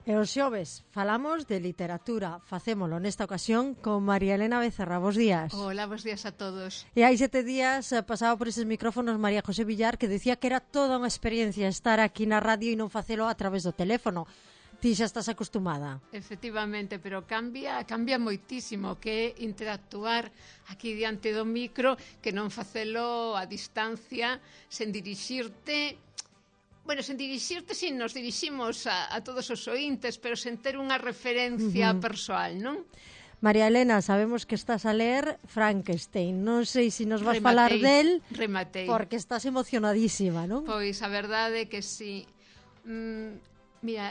E os xoves falamos de literatura. Facémolo nesta ocasión con María Elena Becerra. Bos días. Hola, bos días a todos. E hai 7 días pasaba por eses micrófonos María José Villar, que decía que era toda unha experiencia estar aquí na radio e non facelo a través do teléfono. Ti xa estás acostumada. Efectivamente, pero cambia moitísimo que interactuar aquí diante do micro, que non facelo a distancia, sen dirixirte. Bueno, sen dirixirte, si nos diriximos a todos os ointes, pero sen ter unha referencia persoal, non? María Elena, sabemos que estás a ler Frankenstein. Non sei se nos vas falar del, porque estás emocionadísima, non? Pois a verdade é que si. Mira,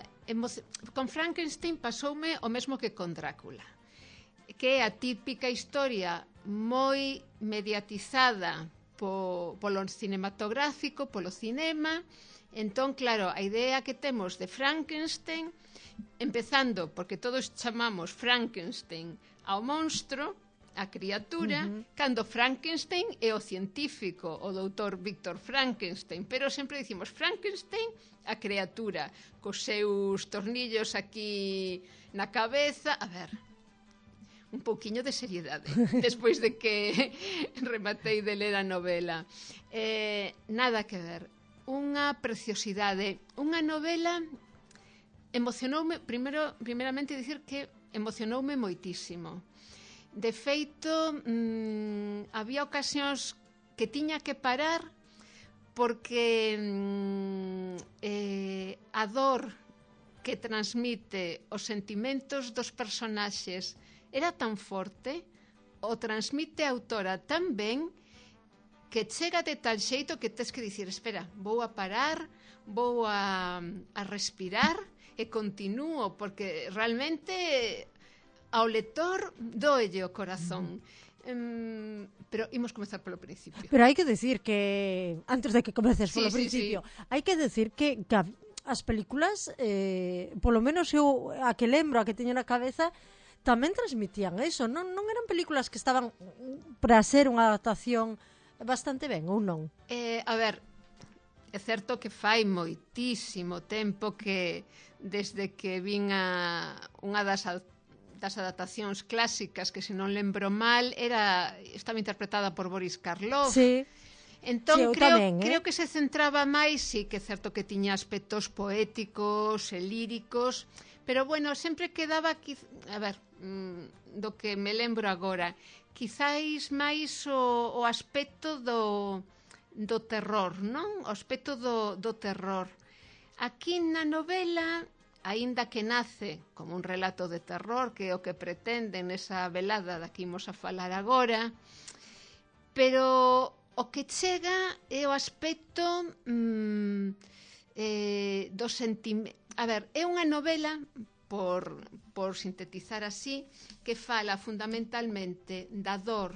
con Frankenstein pasoume o mesmo que con Drácula, que é a típica historia moi mediatizada polo cinematográfico, polo cinema. Entón, claro, a idea que temos de Frankenstein, empezando porque todos chamamos Frankenstein ao monstro, a criatura, cando Frankenstein é o científico, o doutor Víctor Frankenstein, pero sempre dicimos Frankenstein a criatura, cos seus tornillos aquí na cabeza. A ver, un pouquiño de seriedade despois de que rematei de ler a novela. Nada que ver. Unha preciosidade, unha novela emocionoume, primeramente dicir que emocionoume moitísimo. De feito, había ocasións que tiña que parar porque a dor que transmite os sentimentos dos personaxes era tan forte, o transmite a autora tan ben, que chega de tal xeito que tes que dicir, espera, vou a parar, vou a respirar e continuo, porque realmente ao lector doelle o corazón. Pero imos comezar polo principio. Pero hai que decir que, antes de que comeces polo principio, hai que decir que as películas, polo menos eu a que lembro, a que teño na cabeza, tamén transmitían eso, non eran películas que estaban para ser unha adaptación bastante ben, ou non? A ver, é certo que fai moitísimo tempo que desde que vin unha das adaptacións clásicas, que se non lembro mal estaba interpretada por Boris Karloff. Sí. Entón, creo que se centraba máis, sí que é certo que tiña aspectos poéticos e líricos, pero bueno, sempre quedaba aquí, a ver, do que me lembro agora, quizáis máis o aspecto do terror, non? O aspecto do terror. Aquí na novela, aínda que nace como un relato de terror, que é o que pretenden nesa velada da que imos a falar agora, pero o que chega é o aspecto do sentimento. A ver, é unha novela, por sintetizar así, que fala fundamentalmente da dor,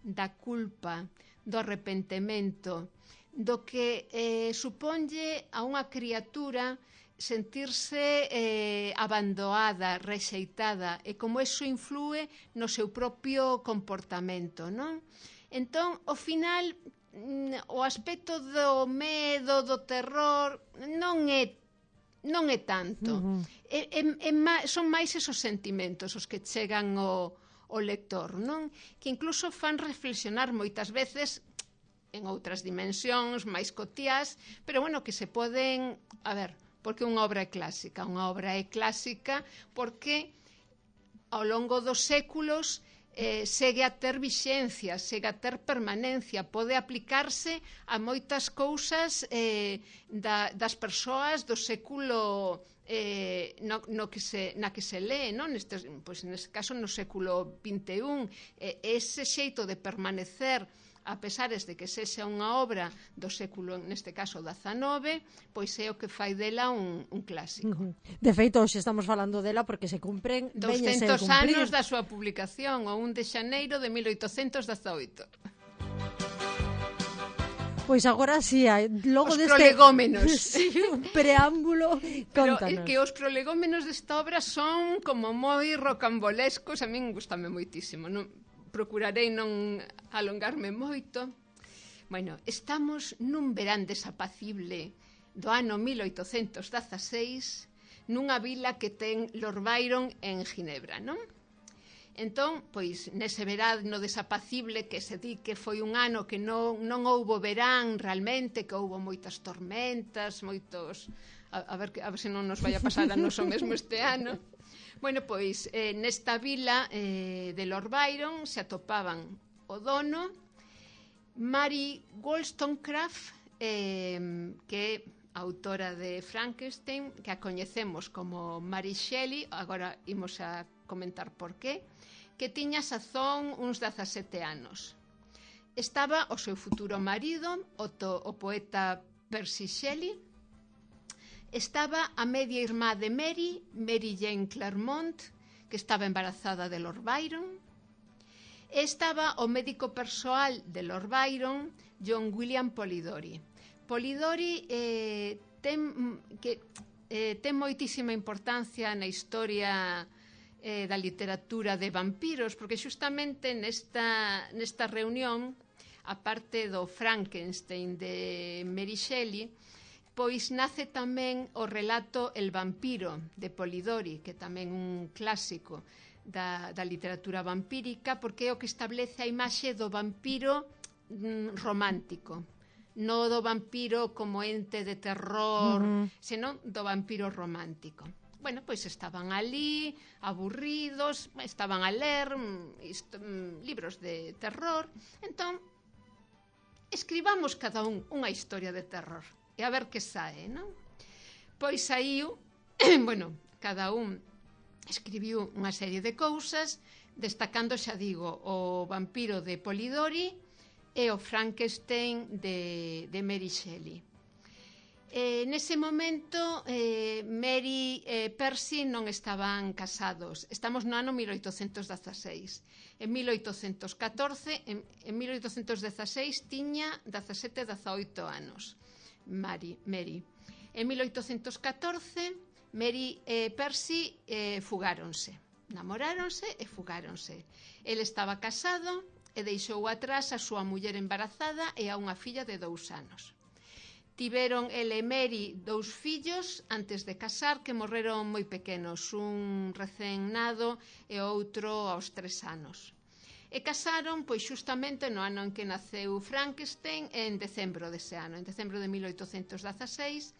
da culpa, do arrepentemento, do que suponlle a unha criatura sentirse abandonada, rexeitada, e como eso influe no seu propio comportamento, non? Entón, ao final, o aspecto do medo, do terror, non é tanto. Son máis esos sentimentos os que chegan ao lector, non? Que incluso fan reflexionar moitas veces en outras dimensións máis cotiás, pero bueno, que se poden, a ver, porque unha obra é clásica. Unha obra é clásica porque ao longo dos séculos segue a ter vixencia, segue a ter permanencia, pode aplicarse a moitas cousas das persoas do século na que se lee, non? Neste caso no século XXI. Ese xeito de permanecer, a pesares de que sexa unha obra do século, neste caso, XIX, pois é o que fai dela un clásico. De feito, hoxe estamos falando dela porque se cumpren 200 anos da súa publicación, o 1 de xaneiro de 1818. Pois agora sí, logo deste prolegómenos. Sí, un preámbulo, contanos. Pero que os prolegómenos desta obra son como moi rocambolescos, a min gustame moitísimo, non? Procurarei non alongarme moito. Bueno, estamos nun verán desapacible do ano 1816 nunha vila que ten Lord Byron en Ginebra, non? Entón, pois, nese verano desapacible que se di que foi un ano que non houbo verán realmente, que houbo moitas tormentas, moitos... A ver se non nos vai a pasar a nos o mesmo este ano. Bueno, pois, nesta vila de Lord Byron se atopaban o dono, Mary Wollstonecraft, que é autora de Frankenstein, que a coñecemos como Mary Shelley, agora imos a comentar por qué, que tiña sazón uns 17 anos. Estaba o seu futuro marido, o poeta Percy Shelley, estaba a media irmá de Mary, Mary Jane Claremont, que estaba embarazada de Lord Byron, e estaba o médico persoal de Lord Byron, John William Polidori. Polidori ten moitísima importancia na historia da literatura de vampiros, porque xustamente nesta reunión, a parte do Frankenstein de Mary Shelley, pois nace tamén o relato El vampiro de Polidori, que tamén un clásico da literatura vampírica, porque é o que establece a imaxe do vampiro romántico, non do vampiro como ente de terror, senón do vampiro romántico. Bueno, pois estaban ali, aburridos, estaban a ler libros de terror. Entón, escribamos cada un unha historia de terror e a ver que sae, non? Pois saiu, bueno, cada un escribiu unha serie de cousas, destacando, xa digo, o vampiro de Polidori e o Frankenstein de Mary Shelley. Nese momento Mary e Percy non estaban casados. Estamos no ano 1816. En 1814, en 1816 tiña 17-18 anos Mary. En 1814 Mary e Percy fugáronse, namoráronse e fugáronse. El estaba casado e deixou atrás a súa muller embarazada e a unha filla de 2 anos. Tiveron ele e Mary 2 fillos antes de casar, que morreron moi pequenos, un recén nado e outro aos 3 anos. E casaron, pois, xustamente no ano en que naceu Frankenstein, en decembro dese ano, en decembro de 1816,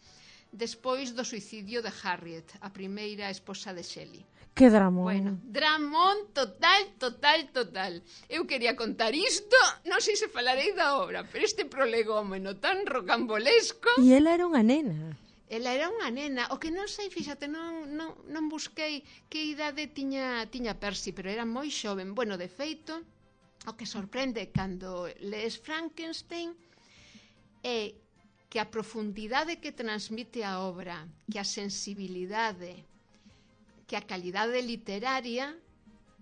despois do suicidio de Harriet, a primeira esposa de Shelley. Que dramón. Bueno, dramón total. Eu quería contar isto, non sei se falarei da obra, pero este prolegómeno tan rocambolesco... E ela era unha nena. Ela era unha nena, o que non sei, fíxate, non busquei que idade tiña Percy, pero era moi xoven. Bueno, de feito, o que sorprende cando lees Frankenstein é que a profundidade que transmite a obra, que a sensibilidade, que a calidade literaria,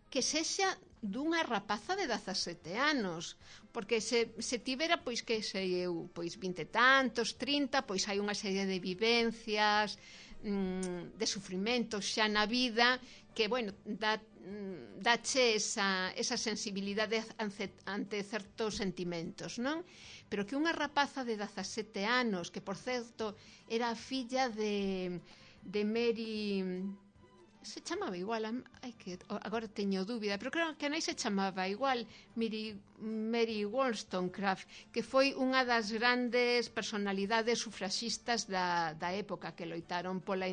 que sexa dunha rapaza de 17 anos, porque se tivera, pois, que sei eu, pois 20 e tantos, 30, pois hai unha serie de vivencias, de sufrimentos xa na vida, que, bueno, dache esa sensibilidade ante certos sentimentos, non? Pero que unha rapaza de 17 anos, que, por certo, era a filla de Mary... Se chamaba igual, agora teño dúbida, pero creo que a nai se chamaba igual, Mary Wollstonecraft, que foi unha das grandes personalidades sufraxistas da época, que loitaron polo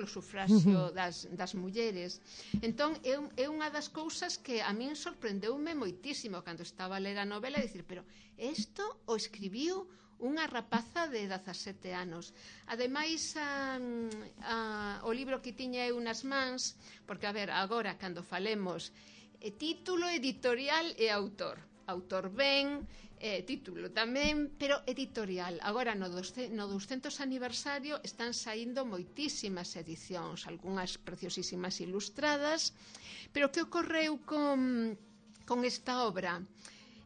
sufraxio das mulleres. Entón, é unha das cousas que a min sorprendeume moitísimo cando estaba a ler a novela, e dicir, pero isto o escribiu unha rapaza de 17 anos. Ademais, o libro que tiña eu nas mans, porque, a ver, agora, cando falemos título, editorial e autor. Autor ben, título tamén, pero editorial. Agora, no 200 aniversario, están saindo moitísimas edicións, algunhas preciosísimas ilustradas, pero que ocorreu con esta obra?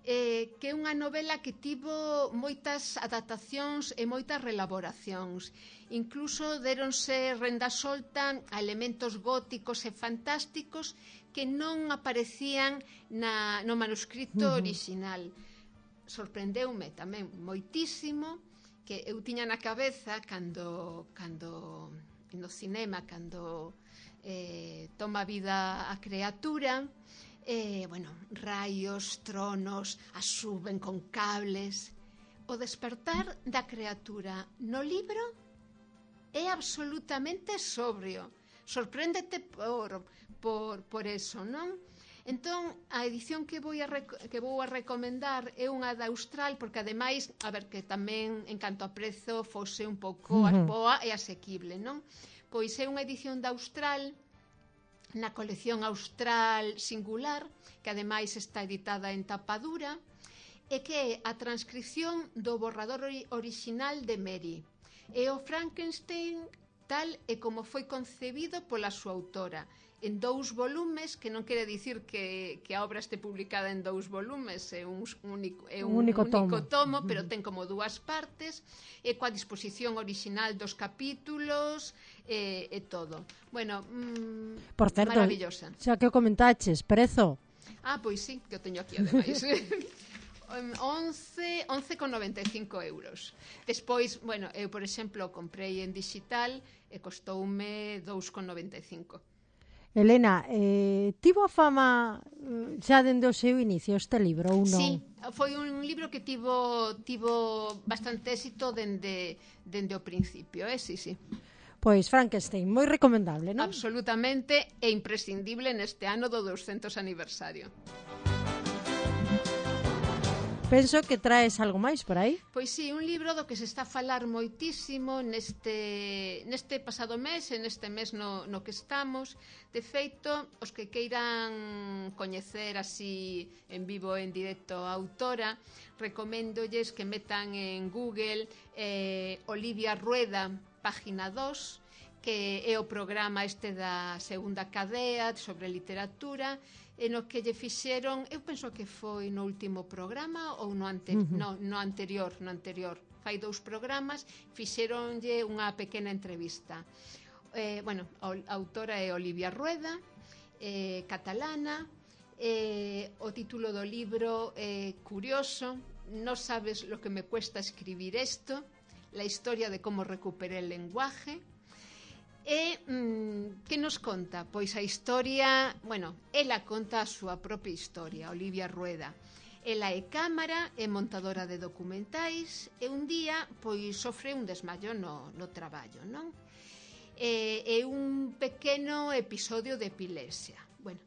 Que é unha novela que tivo moitas adaptacións e moitas relaboracións. Incluso deronse renda solta a elementos góticos e fantásticos que non aparecían no manuscrito orixinal. Sorprendeume tamén moitísimo, que eu tiña na cabeza cando no cinema cando toma vida a criatura, bueno, raios, tronos, a suben con cables. O despertar da criatura no libro é absolutamente sobrio. Sorpréndete por eso, non? Entón, a edición que vou a recomendar é unha da Austral, porque ademais, a ver, que tamén en canto a prezo fose un pouco boa e asequible, non? Pois é unha edición da Austral, na colección Austral Singular, que ademais está editada en tapa dura, e que é a transcripción do borrador orixinal de Mary. É o Frankenstein tal e como foi concebido pola súa autora, en 2 volumes, que non quere dicir que a obra este publicada en 2 volumes, é un único tomo, pero ten como 2 partes, e coa disposición orixinal dos capítulos, e todo. Bueno, por certo, maravillosa. Xa que o comentaches, prezo? Pois sí, que o teño aquí ademais. 11,95 euros. Despois, bueno, eu, por exemplo, comprei en digital e costoume 2,95. Elena, tivo a fama xa dende o seu inicio este libro ou non? Sí, foi un libro que tivo bastante éxito dende o principio, sí. Pois Frankenstein, moi recomendable, non? Absolutamente, e imprescindible neste ano do 200 aniversario. Penso que traes algo máis por aí. Pois sí, un libro do que se está a falar moitísimo neste pasado mes, e neste mes no que estamos. De feito, os que queiran coñecer así en vivo, en directo a autora, recoméndolles que metan en Google Olivia Rueda, página 2, que é o programa este da segunda cadea sobre literatura, e no que lle fixeron, eu penso que foi no último programa ou no anterior, fai 2 programas, fixeronlle unha pequena entrevista. Bueno, a autora é Olivia Rueda, catalana, o título do libro é curioso, No sabes lo que me cuesta escribir esto, la historia de cómo recuperé el lenguaje. E que nos conta? Pois a historia, bueno, ela conta a súa propia historia, Olivia Rueda. Ela é cámara, é montadora de documentais, e un día pois sofre un desmayo no traballo, non? É un pequeno episodio de epilepsia. Bueno,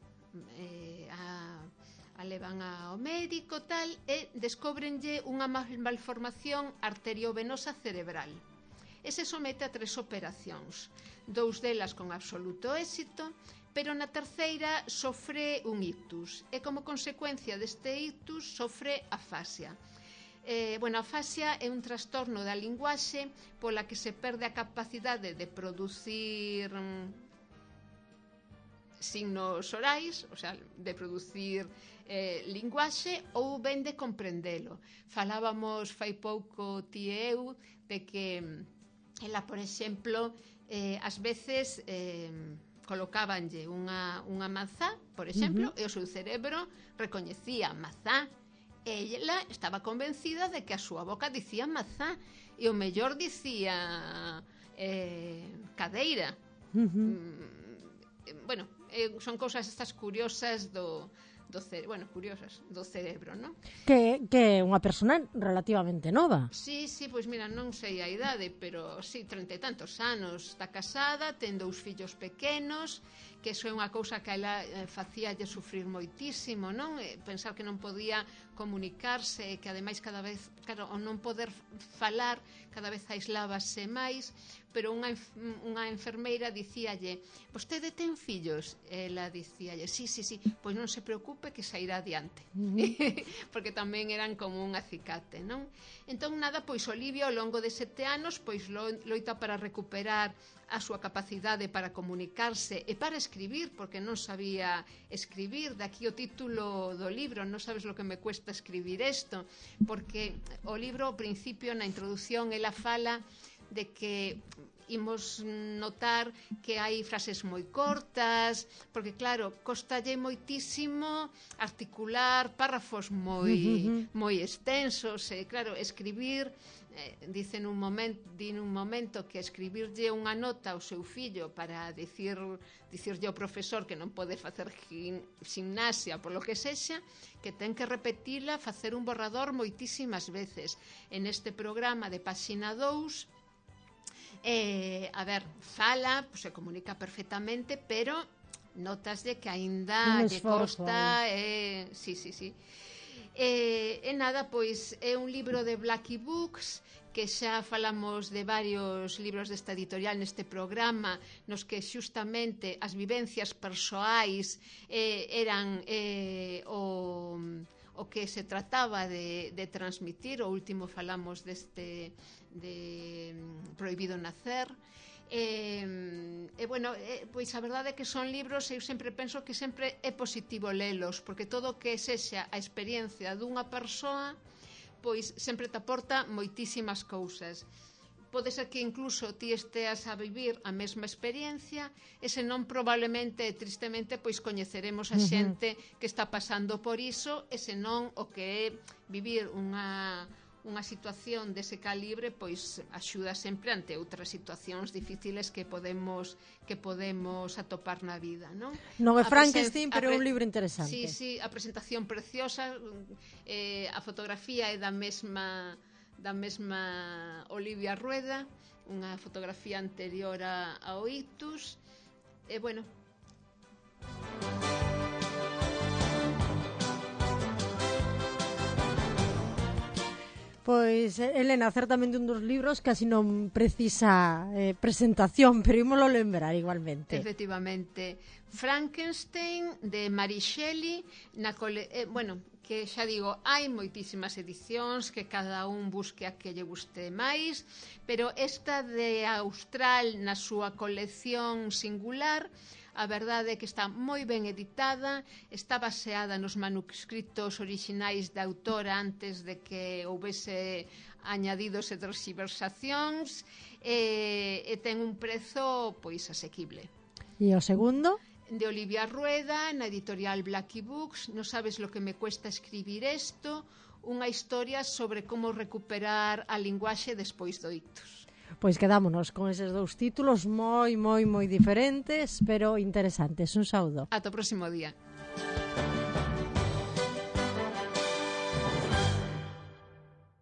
a levan ao médico tal, e descóbrenlle unha malformación arteriovenosa cerebral. E se somete a 3 operacións, 2 delas con absoluto éxito, pero na terceira sofre un ictus, e como consecuencia deste ictus sofre afasia. Bueno, a afasia é un trastorno da linguaxe pola que se perde a capacidade de producir signos orais, o sea, de producir linguaxe, ou ben de comprendelo. Falábamos fai pouco ti e eu de que ela, por exemplo, ás veces colocábanlle unha mazá, por exemplo, e o seu cerebro recoñecía mazá, e ela estaba convencida de que a súa boca dicía mazá, e o mellor dicía cadeira. Bueno, son cousas estas curiosas curiosas do cerebro, non? Que é unha persona relativamente nova. Sí, pois mira, non sei a idade, pero sí, 30 e tantos anos, está casada, ten 2 fillos pequenos, que iso é unha cousa que a ela facíalle sufrir moitísimo, non? Pensar que non podía comunicarse, que ademais cada vez, claro, ao non poder falar, cada vez aislábase máis, pero unha enfermeira dicíalle: vostede ten fillos? Ela dicíalle: sí, pois non se preocupe que sairá adiante. Porque tamén eran como un acicate, non? Entón, nada, pois Olivia ao longo de 7 anos pois loita para recuperar a súa capacidade para comunicarse e para escribir, porque non sabía escribir. Daqui o título do libro, Non sabes lo que me cuesta escribir esto, porque o libro ao principio, na introdución, ela fala de que imos notar que hai frases moi cortas, porque claro, costalle moitísimo articular párrafos moi extensos, e claro, escribir Dicen un momento que escribirlle unha nota ao seu fillo para dicirlle ao profesor que non pode facer gimnasia polo que sexa, que ten que repetila, facer un borrador moitísimas veces. En este programa de Páxina 2 fala, pues, se comunica perfectamente, pero notaslle que aínda lle costa, sí. E nada, pois é un libro de Blackie Books, que xa falamos de varios libros desta editorial neste programa, nos que xustamente as vivencias persoais eran o que se trataba de transmitir. O último falamos de Prohibido Nacer. Pois a verdade é que son libros, eu sempre penso que sempre é positivo lelos, porque todo o que sexa a experiencia dunha persoa, pois sempre te aporta moitísimas cousas. Pode ser que incluso ti esteas a vivir a mesma experiencia, e senón probablemente, tristemente, pois coñeceremos a xente que está pasando por iso, e senón o que é vivir unha situación dese calibre, pois axuda sempre ante outras situacións difíciles que podemos atopar na vida, non? Non é Frankenstein, pero é un libro interesante. Sí, a presentación preciosa, a fotografía é da mesma Olivia Rueda, unha fotografía anterior ao ictus, e bueno. Pois, Elena, certamente un dos libros casi non precisa presentación, pero ímolo lembrar igualmente. Efectivamente. Frankenstein, de Mary Shelley, que xa digo, hai moitísimas edicións, que cada un busque a que lle guste máis, pero esta de Austral, na súa colección singular, a verdade é que está moi ben editada, está baseada nos manuscritos orixinais da autora antes de que houvese añadidos e terxiversacións, e ten un prezo pois asequible. E o segundo? De Olivia Rueda, na editorial Blackie Books, Non sabes lo que me cuesta escribir esto, unha historia sobre como recuperar a linguaxe despois do ictus. Pois quedámonos con eses dous títulos moi diferentes, pero interesantes. Un saúdo. Ata o próximo día.